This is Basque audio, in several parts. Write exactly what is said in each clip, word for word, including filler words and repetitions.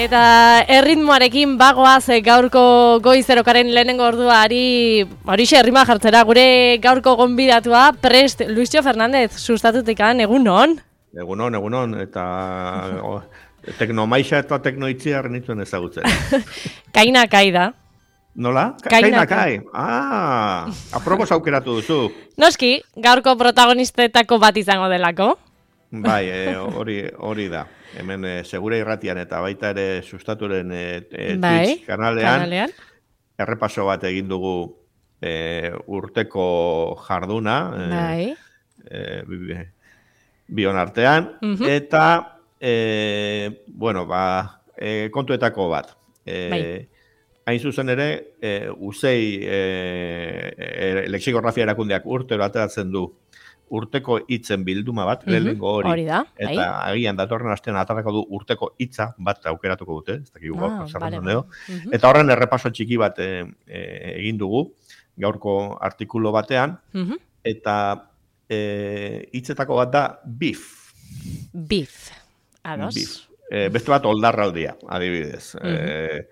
Eta erritmoarekin bagoaz gaurko goizerokaren lehenengo orduari horixe errima jartzera gure gaurko gonbidatua prest Luisio Fernandez sustatutikan, egunon? Egunon, egunon, eta o, teknomaixa eta teknoitziar nituen ezagutzen. Kaina kai da. Nola? Kaina kai. Ah, aprobos aukeratu duzu. Noski, gaurko protagonistetako bat izango delako. Bai, hori e, hori da. Hemen e, segure irratian eta baita ere sustaturen e, e, bai, Twitch kanalean, kanalean errepaso bat egin dugu e, urteko jarduna, bai. e, e, bion artean, uh-huh. eta e, bueno, ba, e, kontuetako bat. E, bai. Hain zuzen ere, e, uzei e, e, lexikografia erakundeak urtero ateratzen du urteko hitzen bilduma bat, uh-huh. lehenengo hori, hori da, eta bai. agian datorren astean atarako du urteko hitza bat aukeratuko dute, ez dakigu gaur, ah, vale, uh-huh. eta horren errepaso txiki bat e, e, egin dugu, gaurko artikulu batean, uh-huh. eta e, hitzetako bat da beef. Beef, ados. Beef. E, beste bat oldarraldia, adibidez. Uh-huh. E,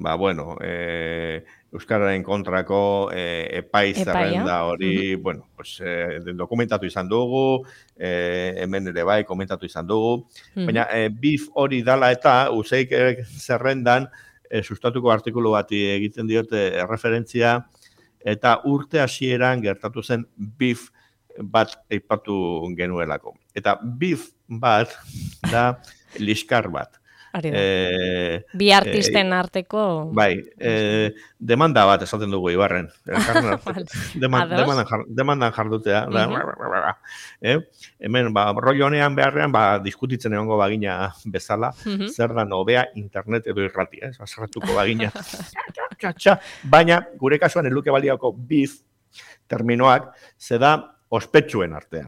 ba, bueno, e, Euskararen kontrako e, epai zerrenda hori, uh-huh. bueno, pues, e, dokumentatu izan dugu, e, hemen ere bai komentatu izan dugu, uh-huh. baina e, beef hori dala eta useik zerrendan e, sustatuko artikulu bati egiten diote referentzia, eta urte hasieran gertatu zen beef bat aipatu genuelako. Eta beef bat da liskar bat. Eh, bi artisten eh, arteko... Bai, eh, demanda bat esaten dugu Ibarren. vale. Deman, demandan, jar, demandan jardutea. Uh-huh. eh, hemen, ba, rollo honean beharrean, ba, diskutitzen egongo bagina bezala, uh-huh. zer da nobea internet edo irratia, ez? Zerratuko bagina. Baina, gure kasuan eluke baliako beef terminoak, ze da ospetsuen artean.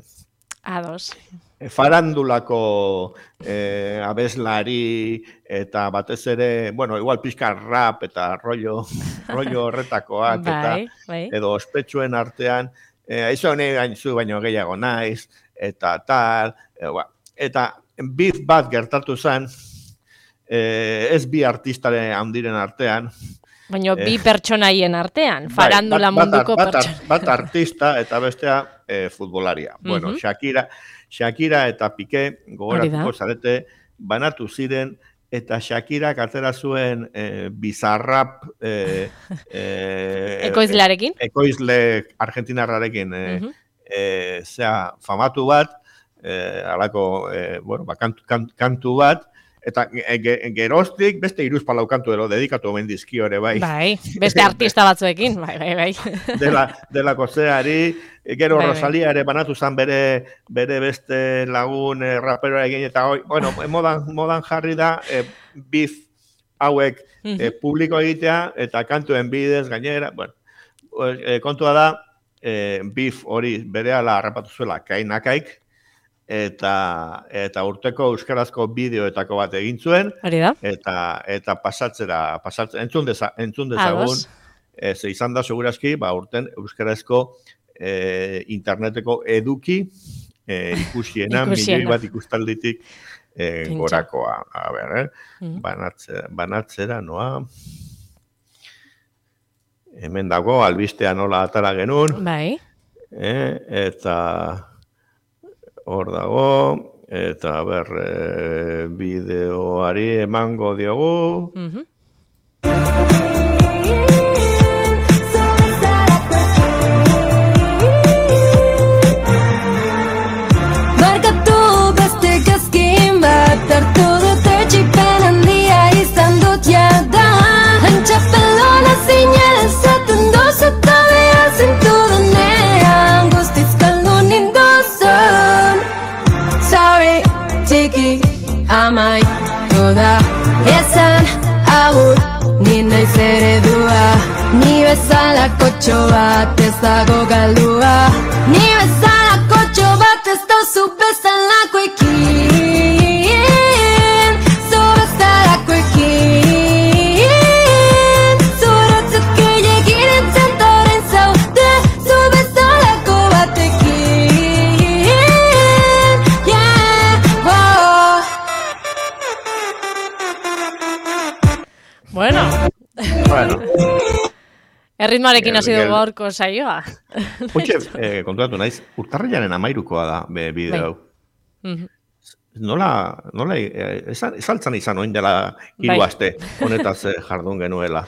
Ados. Farandulako eh, abeslari eta batez ere, bueno, igual pixka rap eta rollo, rollo horretakoak eta bai, bai. edo ospetsuen artean, eh, aizu honi gainzu baino gehiago naiz, eta tal, eh, ba, eta beef bat gertatu zen, eh, ez bi artistaren handiren artean, baina bi pertsonaien artean, farandula bai, bat, munduko bat, bat, pertsona. Bat artista eta bestea eh, futbolaria. Uh-huh. Bueno, Shakira, Shakira eta Piqué gogoratuko zarete banatu ziren eta Shakira atera zuen eh, bizarrap eh, eh, ekoizlearekin, ekoizle argentinarrarekin eh, uh-huh. eh, zea famatu bat, eh, alako eh, bueno, ba, kantu, kantu, kantu bat. Eta geroztik beste hiruzpalau kantu ero dedikatu omen dizkio ere, bai. Bai, beste artista batzuekin, bai, bai, bai. Dela, dela kozeari, gero bai, Rosalia ere banatu zen bere, bere beste lagun eh, rapero egin, eta hoi, bueno, modan, modan jarri da, eh, beef hauek eh, uh-huh. publiko egitea, eta kantuen bidez gainera, bueno, eh, kontua da, eh, beef hori berehala harrapatu zuela kainakaik, eta eta urteko euskarazko bideoetako bat egin zuen eta eta pasatzera pasatzen entzun deza, entzun dezagun ez izan da segurazki ba urten euskarazko e, interneteko eduki e, ikusiena milioi bat ikustalditik e, gorakoa a ber eh mm-hmm. banatzera banatzera noa hemen dago albistea nola atara genuen bai eh eta hor dago, eta ber, e, bideoari emango diogu. Uh-huh. Barkatu beste gazkin bat, hartu dut etxipen handia izan dut jada. Antxapelona zinela esaten doz eta behar zintu denean, guztiz kaldu nindozun. Sorry, txiki, amai, toda esan agur, ni naiz eredua. Ni bezala kotxo bat ez dago galdua. Ni bezala kotxo bat ez dauzu bezalako ekin. Zu bezalako ekin. Zuratzuk gehiagin entzantoren zaude. Zu bezalako batekin. Yeah, oh. Erritmoarekin hasi Gel- dugu gaurko saioa. Hoxe, eh, konturatu naiz, urtarrilaren amairukoa da be, bideo Bai. hau. Mhm. Nola, nola, eh, esan, esaltzan izan oin dela hiru Bai. aste, honetaz eh, jardun genuela.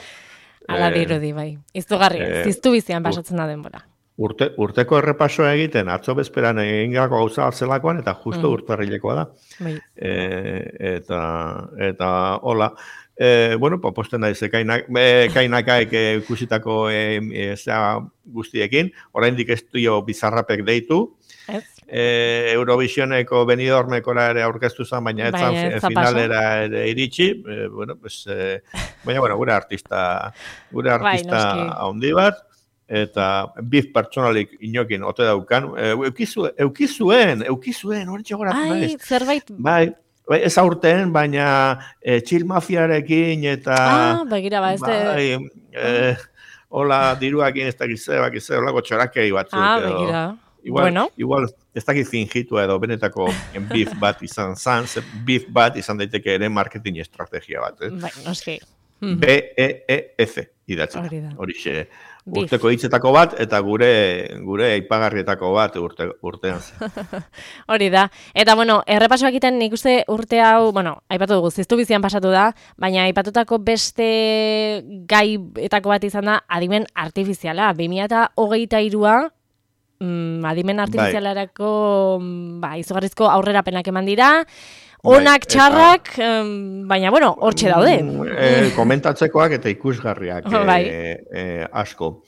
Ala Eh, dirudi, bai. Izugarria, eh, ziztu bizian pasatzen da denbora. Urte, urteko errepasoa egiten, atzo bezperan egin gako gauza bat zelakoan, eta justo Mhm. urtarrilekoa da. Bai. E, eta, eta, hola, e, bueno, pa, posten naiz, ekainak, ekainakaek e, ikusitako e, e, zea guztiekin, oraindik ez dio bizarrapek deitu, Ez? e, Eurovisioneko Benidormekora ere aurkeztu zen, baina ez Baina zan ez da finalera ere iritsi, e, bueno, pues, e, baina, bueno, gure artista, gure Bai, artista noski. handi bat, eta biz pertsonalik inokin ote daukan, e, eukizu, eukizuen, eukizuen, horretxe goratu Ai, naiz. zerbait... Bai, bai, ez aurten, baina e, txil mafiarekin eta... Ah, begira, ba, ez de... bai, e, hola, diruakin ez dakize, bakize, holako txorakei batzuk. Ah, edo. begira. Igual, Bueno. igual ez dakit fingitua edo benetako beef bat izan zan, ze beef bat izan daiteke ere marketing estrategia bat. Eh? Bai, noski. B E E F idatzen. Hori da. Horixe. Beef. Urteko hitzetako bat eta gure gure aipagarrietako bat urte, urtean. Hori da. Eta, bueno, errepasoak egiten nik uste urte hau, bueno, aipatu dugu, ziztu bizian pasatu da, baina aipatutako beste gaietako bat izan da adimen artifiziala. bi mila hogeita hirua mm, adimen artifizialarako mm, ba, izugarrizko aurrerapenak eman dira, onak, Bai, txarrak, em, baina, bueno, hortxe daude. E, komentatzekoak eta ikusgarriak e, Bai. e, asko.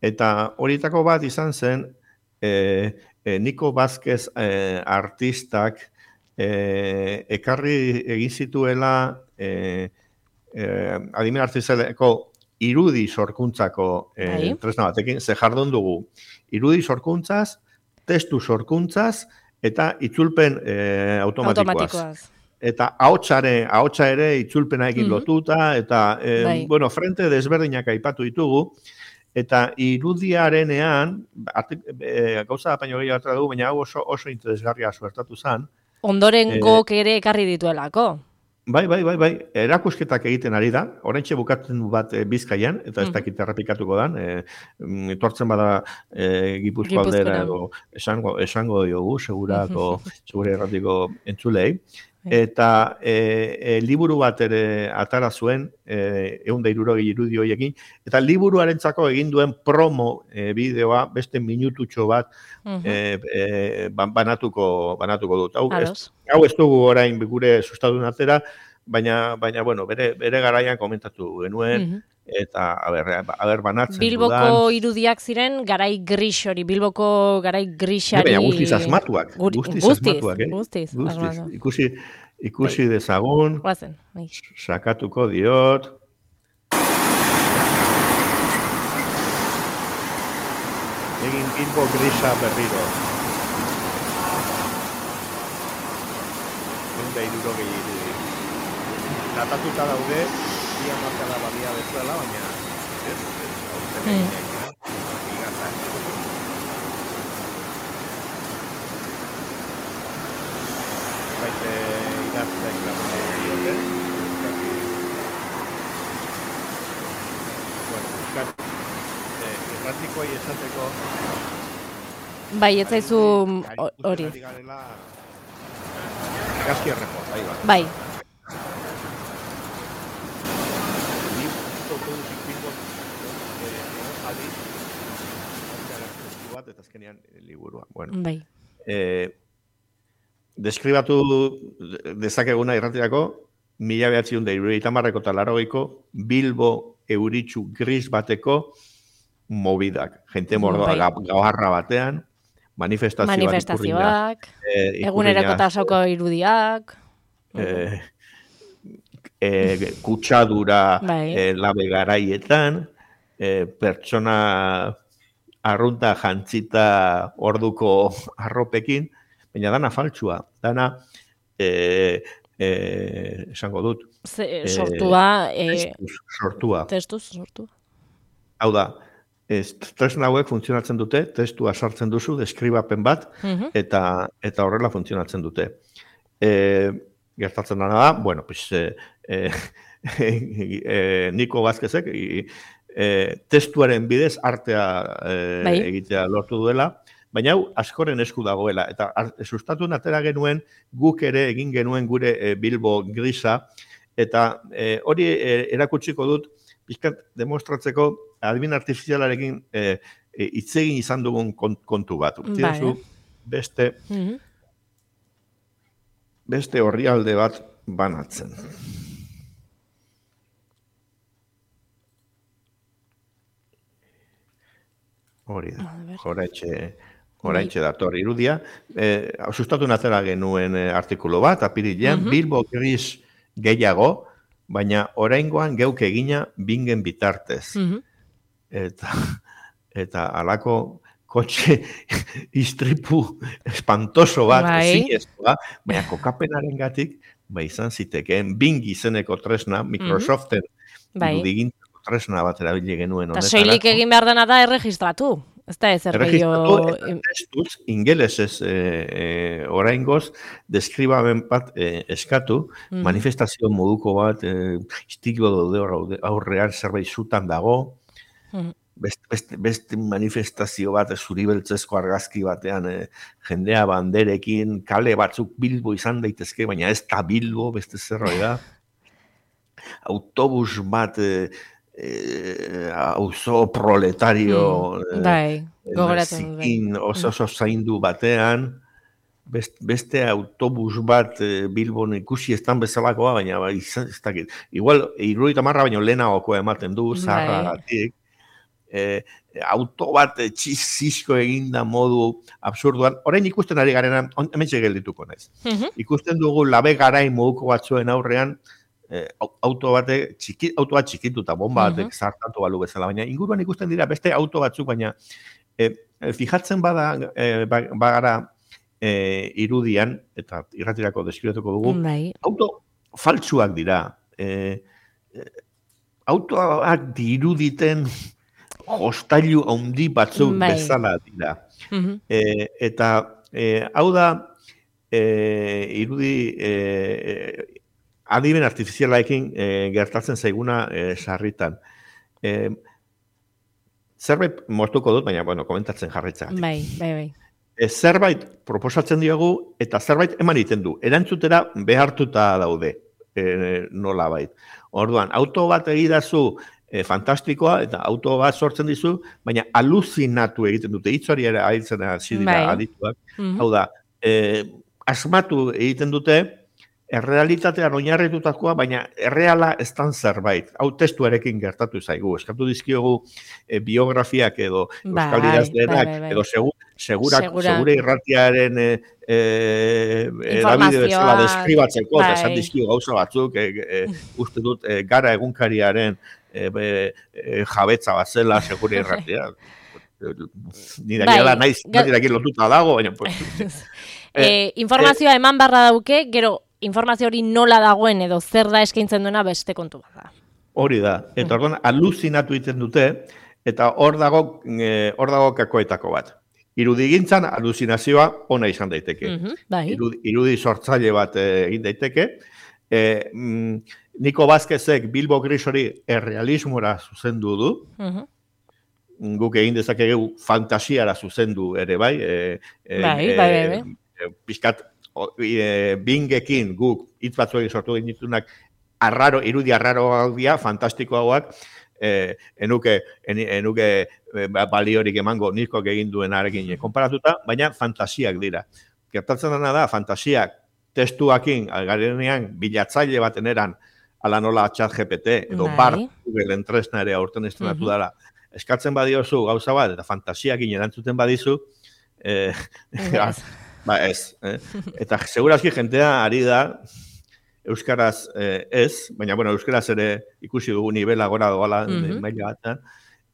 Eta horietako bat izan zen, e, e, Niko Vázquez e, artistak e, ekarri egin zituela e, e, adimen artifizialeko irudi sorkuntzako e, Bai. tresna batekin, ze jardun dugu. Irudi sorkuntzaz, testu sorkuntzaz, eta itzulpen e, automatikoaz. Automatikoaz. Eta ahotsare, ahotsa ere itzulpenaekin Mhm. lotuta, eta, e, Bai. bueno, frente desberdinak aipatu ditugu, eta irudiarenean, artik, e, gauza da baino gehiago atera dugu, baina hau oso, oso interesgarria suertatu zen. Ondoren Eh, gok ere ekarri dituelako. Bai, bai, bai, bai, erakusketak egiten ari da, oraintxe bukatzen du bat e, Bizkaian, eta ez Mhm. dakit errepikatuko dan, e, mm, etortzen bada e, Gipuzko aldera, Gipuzkoara. edo esango, esango diogu, segurako, segure erratiko entzulei. Bai. Eta e, e, liburu bat ere atara zuen, e, ehun eta hirurogei irudi horiekin, eta liburuarentzako egin duen promo e, bideoa beste minututxo bat Mhm. e, e, ban- banatuko, banatuko dut. Hau, ez, Ados. hau ez dugu orain gure sustatun atera, baina, baina bueno, bere, bere garaian komentatu genuen, Mhm. eta a ber, a ber banatzen Bilboko dudan. irudiak ziren garai gris hori, Bilboko garai grisari... Baina guztiz asmatuak, Guri- guztiz, guztiz, asmatuak, eh? guztiz, asmatu. Ikusi, ikusi dezagun, Guazen, bai. sakatuko diot. Egin Bilbo grisa berriro. Ehun eta hirurogei irudi. Datatuta daude, bi hamarkada badia bezala, baina ez, ez, aurten Mm. eginak, igazak. Baite idazteak lagundu diote. Bueno, euskat, eh, erratikoei esateko... Bai, ez zaizu ho- hori. Ari garela, Gazki errepo, bai bat. Bai, Ni autobusik Bilbon, eh, adi, bat, eta azkenean eh, liburua. Bueno, bai. eh, deskribatu dezakeguna irratirako, mila behatziehun eta hirurogeita hamarreko eta laurogeiko Bilbo euritsu gris bateko movidak. Jente mordoa Bai. ga- gabarra batean, manifestazio bat Manifestazioak, eh, eguneroko ikurriña, tasoko irudiak. eh, eh, kutsadura Bai. eh, labe garaietan, eh, pertsona arrunta jantzita orduko arropekin, baina dana faltsua, dana eh, eh, esango dut, Ze, sortua, eh, testuz sortua. testuz sortua. Hau da, ez, tresna hauek funtzionatzen dute, testua sartzen duzu, deskribapen bat, Mhm. eta eta horrela funtzionatzen dute. E, gertatzen dena da, bueno, pues, e, e, e, Niko Vázquezek i- e, testuaren bidez artea e, Bai. egitea lortu duela, baina hau askoren esku dagoela, eta ar- sustatu atera genuen guk ere egin genuen gure e, Bilbo grisa, eta e, hori e, erakutsiko dut, pixkat demostratzeko adibin artifizialarekin e, e, hitz egin izan dugun kont- kontu bat. Utzidazu, beste, Mhm. beste orrialde bat banatzen. Hori da, oraitxe, oraitxe dator irudia. E, sustatu atera genuen e, artikulu bat, apirilean, Mhm. Bilbo gris gehiago, baina oraingoan geuk egina bingen bitartez. Mhm. Eta, eta alako kotxe istripu espantoso bat, Bai. ezinezkoa, baina kokapenaren gatik, ba izan zitekeen, Bing izeneko tresna, Microsoften Bai. irudigintzako tresna bat erabili genuen Eta honetarako. soilik egin behar dena da erregistratu. Ez da ezer Erregistratu gehiago... eta testuz, ingelesez e, e, oraingoz, deskribamen bat e, eskatu, Mhm. manifestazio moduko bat, e, istiklo daude hor aurrean zerbait zutan dago, Mhm. beste, beste, beste manifestazio bat zuribeltzezko argazki batean e, jendea banderekin, kale batzuk Bilbo izan daitezke, baina ez da Bilbo, beste zerbait da. Autobus bat e, e, auzo proletario Mm, bai, gogoratzen dut, bai. zikin oso oso zaindu batean, best, beste autobus bat e, Bilbon ikusi estan bezalakoa, baina ba, izan, ez dakit. Igual, irurogeita hamar baino lehenagokoa ematen du, Bai. zaharragatik. E, auto bat e, txizisko eginda modu absurduan. Orain ikusten ari garena, on- hementxe geldituko naiz. Mhm. Ikusten dugu labe garain moduko batzuen aurrean, eh, au- auto bate txiki, auto bat txikitu eta bomba batek zartatu balu bezala, baina inguruan ikusten dira beste auto batzuk, baina eh, eh, fijatzen bada eh, ba- bagara eh, irudian, eta irratirako deskribatuko dugu, Bai. auto faltsuak dira. Eh, eh, autoak diruditen jostailu handi batzuk Bai. bezala dira. Mhm. E, eta e, hau da e, irudi e, e, adimen artifizialaekin e, gertatzen zaiguna e, sarritan. E, zerbait moztuko dut, baina bueno, komentatzen jarritza. Bai, bai, bai. E, zerbait proposatzen diogu eta zerbait eman egiten du. Erantzutera behartuta daude e, nolabait. Orduan, auto bat egidazu e, fantastikoa eta auto bat sortzen dizu, baina aluzinatu egiten dute. Hitz hori ere aitzen hasi dira Bai. adituak. Mhm. Hau da, e, asmatu egiten dute, errealitatean oinarritutakoa, baina erreala ez dan zerbait. Hau testuarekin gertatu zaigu. Eskatu dizkiogu e, biografiak edo euskal Bai, idazlenak, bai, bai, bai. edo segu, segurak, Segura. segure irratiaren e, e, edabide bezala Informazioa, deskribatzeko, eta bai. esan dizkio gauza batzuk, e, e, uste dut, e, gara egunkariaren e, be, e, jabetza bat zela, segure irratia. Ni dakia Bai, da, naiz, ga- naiz lotuta dago, baina, pues, Eh, informazioa eman barra dauke, gero informazio hori nola dagoen edo zer da eskaintzen duena beste kontu bat da. hori da. Eta orduan aluzinatu egiten dute, eta hor dago, e, hor dago kakoetako bat. Irudigintzan aluzinazioa ona izan daiteke. Mhm, bai. Irudi, irudi sortzaile bat eh, egin daiteke. E, mm, Niko Vázquezek Bilbo Gris hori errealismora zuzendu du. Mhm. Guk egin dezakegu fantasiara zuzendu ere bai. E, e, Bai, bai, bai, bai. e, pixkat o, e, bingekin guk hitz batzuekin sortu ditunak arraro, irudi arraroak dira, fantastikoagoak, eh, enuke, en, enuke eh, baliorik emango nizkoak egin duenarekin konparatuta, baina fantasiak dira. Gertatzen dena da, fantasiak testuakin, garenean, bilatzaile baten eran, ala nola chat G P T, edo Bai. bar, Google tresna ere aurten estrenatu Mhm. dara, eskatzen badiozu gauza bat, eta fantasiakin erantzuten badizu, eh, Ez. ba ez. Eh? Eta segurazki jentea ari da, euskaraz eh, ez, baina bueno, euskaraz ere ikusi dugu nivela gora doala Mhm. maila batean,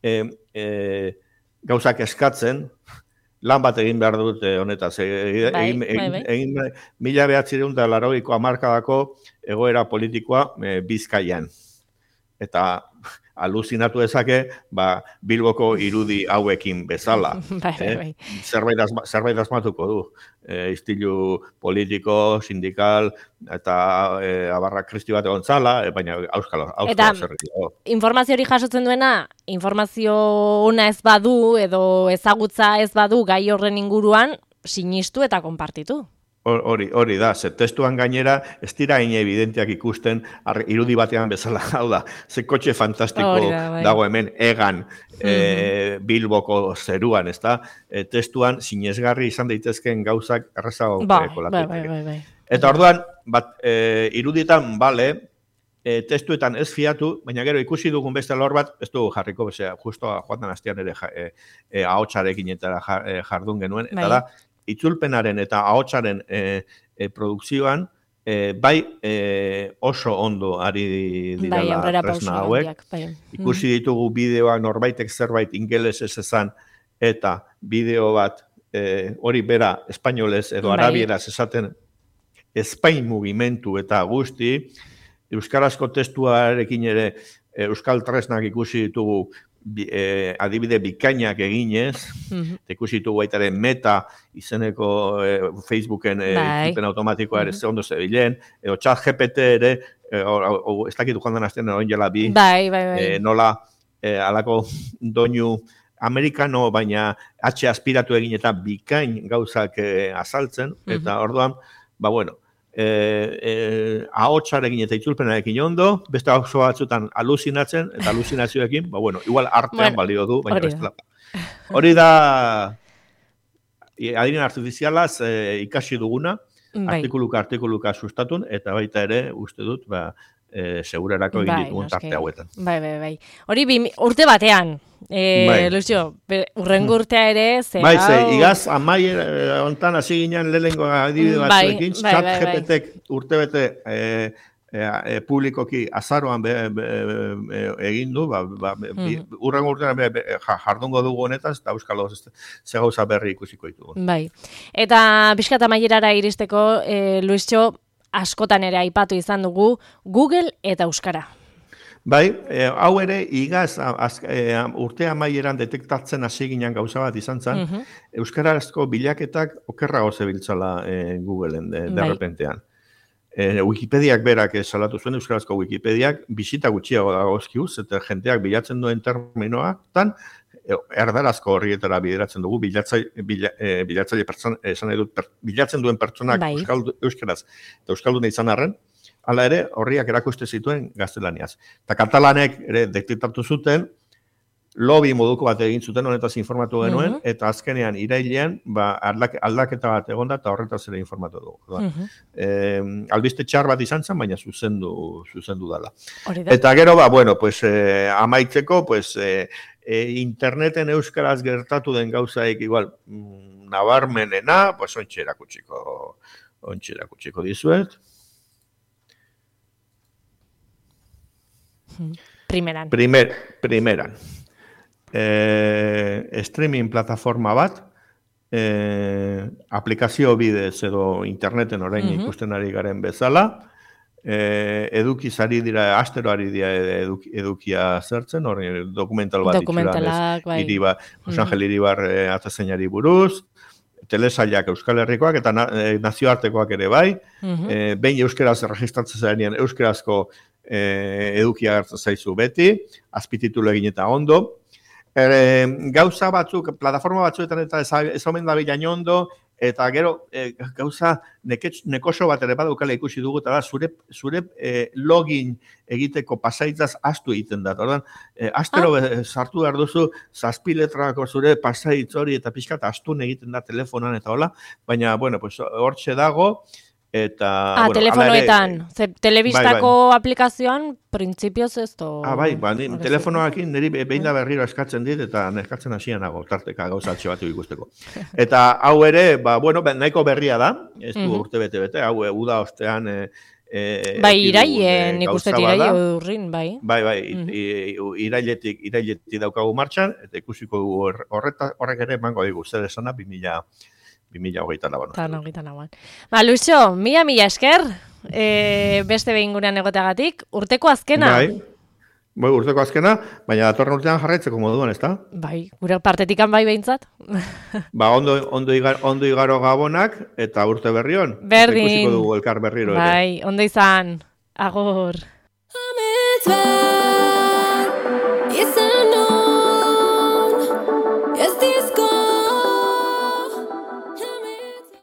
eh, eh, gauzak eskatzen, lan bat egin behar dute honetaz. E, Bai, egin, bai, egin, bai. egin, mila behatzireun eta laurogeiko hamarkadako egoera politikoa e, Bizkaian. Eta aluzinatu dezake, ba, Bilboko irudi hauekin bezala. Bai, bai, eh? bai. Zerbait, asma, zerbait asmatuko du. E, istilu politiko, sindikal, eta e, abarra kristi bat egon zala, e, baina auskalo, Eta auskalo zerri. informazio hori jasotzen duena, informazio ona ez badu, edo ezagutza ez badu gai horren inguruan, sinistu eta konpartitu. Hori, hori da, ze testuan gainera ez dira hain evidenteak ikusten ar, irudi batean bezala, hau da, ze kotxe fantastiko Hori da, bai. dago hemen egan e, Bilboko zeruan, ez da, e, testuan sinesgarri izan daitezkeen gauzak errazago Bai, kolatu bai, bai, daiteke. bai, bai. Eta orduan, bat, e, irudietan, bale, e, testuetan ez fiatu, baina gero ikusi dugun beste lor bat, ez dugu jarriko, bezea, justo joan den astean ere ja, e, e, ahotsarekin eta ja, e, jardun genuen, eta Bai. da, itzulpenaren eta ahotsaren e, e, produkzioan, e, bai e, oso ondo ari Bai, direla aurrera tresna pauso hauek. handiak, bai. Ikusi ditugu bideoak norbaitek zerbait ingelesez esan, eta bideo bat e, hori bera espainolez edo Bai. arabieraz esaten Espain mugimendu eta guzti, euskarazko testuarekin ere e, euskal tresnak ikusi ditugu bi, e, adibide bikainak eginez, Mhm. ikusi ditugu baita ere Meta izeneko e, Facebooken e, Bai. itzulpen automatikoa ere Mhm. ze ondo zebilen, edo chat G P T ere, e, o, o, ez dakitu joan den astean orain jela bi, Bai, bai, bai. e, nola e, alako doinu amerikano, baina H aspiratu egin eta bikain gauzak e, azaltzen, eta orduan, ba bueno, e, e, ahotsarekin eta itzulpenarekin ondo, beste oso batzutan aluzinatzen, eta aluzinazioekin, ba bueno, igual artean Bueno, balio du, baina hori da. bestela. Hori da, adinen artifizialaz e, ikasi duguna, Bai. artikuluka artikuluka sustatun, eta baita ere, uste dut, ba, e, segurarako egin Bai, ditugun noski. tarte hauetan. Bai, bai, bai. Hori bi, urte batean, e, Bai. Lucio, be- urrengo urtea ere, ze Bai, ze, hau- igaz, amaier eh, hontan hasi ginen lehenengo adibide Bai, batzuekin, bai, chat bai, bai. G P T urtebete eh, eh, eh, publikoki azaroan be, be, be, egin du, ba, ba, bi- urrengo urtean be, be, ja, jardungo dugu honetaz, eta euskalo ze ze gauza berri ikusiko ditugu. Bai. Eta pixka eta amaierara iristeko, e, Luisio, askotan ere aipatu izan dugu, Google eta Euskara. Bai, eh, hau ere igaz a- az, eh, urte amaieran detektatzen hasi ginen gauza bat izan zen, Mhm. euskarazko bilaketak okerrago zebiltzala eh, Googleen de, de Bai. repentean. E, Wikipediak berak salatu zuen, euskarazko Wikipediak bisita gutxiago dagozkiuz, eta jenteak bilatzen duen terminoetan, e, erdarazko horrietara bideratzen dugu, bilatzaile, bila, e, bilatzaile pertsona, esan nahi dut, per, bilatzen duen pertsonak Bai. euskaldu, euskaraz eta euskalduna izan arren, hala ere, horriak erakuste zituen gaztelaniaz. Eta katalanek ere detektatu zuten, lobby moduko bat egin zuten honetaz informatu genuen, Mhm. eta azkenean irailean ba, aldak, aldaketa bat egonda eta horretaz ere informatu dugu. Orduan, Mhm. eh, albiste txar bat izan zen, baina zuzendu, zuzendu dala. Hori da. Eta gero, ba, bueno, pues, eh, amaitzeko, pues, eh, eh, interneten euskaraz gertatu den gauzaik igual mm, nabarmenena, pues, ontsi erakutsiko, ontsi erakutsiko dizuet. Primeran. Primer, primeran. Eh, streaming plataforma bat, eh, aplikazio bidez edo interneten orain Mhm. ikusten ari garen bezala, eh, edukiz ari dira, astero ari dira eduki, edukia zertzen, hori dokumental bat Dokumentalak, bai. Iriba, Jose Angel Iribar eh, atezeinari buruz, telesailak Euskal Herrikoak eta na, eh, nazioartekoak ere bai, Mhm. eh, behin euskaraz registratzen zarenean euskarazko eh, edukia hartzen zaizu beti, azpititulu egin eta ondo. E, gauza batzuk, plataforma batzuetan eta ez, ez omen da bilain ondo, eta gero e, gauza neketx, nekoso bat ere badaukala ikusi dugu, eta da zure, zure e, login egiteko pasaitzaz astu egiten da. Orduan, e, astero ah. sartu behar duzu, zazpi letrako zure pasaitz hori eta pixka eta astun egiten da telefonan eta hola, baina, bueno, pues, hortxe dago, eta... Ah, bueno, telefonoetan. ere, Ze, telebistako aplikazioan, printzipioz ez to... Ah, bai, ba, ni, Hori telefonoakin niri be- behin da berriro eskatzen dit, eta neskatzen hasian nago, tarteka gauzatxe bat ikusteko. Eta hau ere, ba, bueno, ba, nahiko berria da, ez du Mhm. urte bete-bete, hau e, uda ostean... E, e, Bai, eduki dugun, iraien, e, nik uste gauza iraien bat da. urrin, bai. Bai, bai, Mhm. i- i- irailetik, irailetik daukagu martxan, eta ikusiko dugu hor- horreta, horrek ere emango digu, zer esana, bi mila hogeita lauan. Eta hogeita lauan. Ba, Luixo, mila mila esker, e, beste behin gurean egoteagatik, urteko azkena. Bai, Bai, urteko azkena, baina datorren urtean jarraitzeko moduan, ezta? Bai, gure partetikan bai behintzat. Ba, ondo, ondo, igar, ondo igaro gabonak eta urte berrion. Berdin. Eta ikusiko dugu elkar berriro ere. Bai, ondo izan. Agur. Amitz bat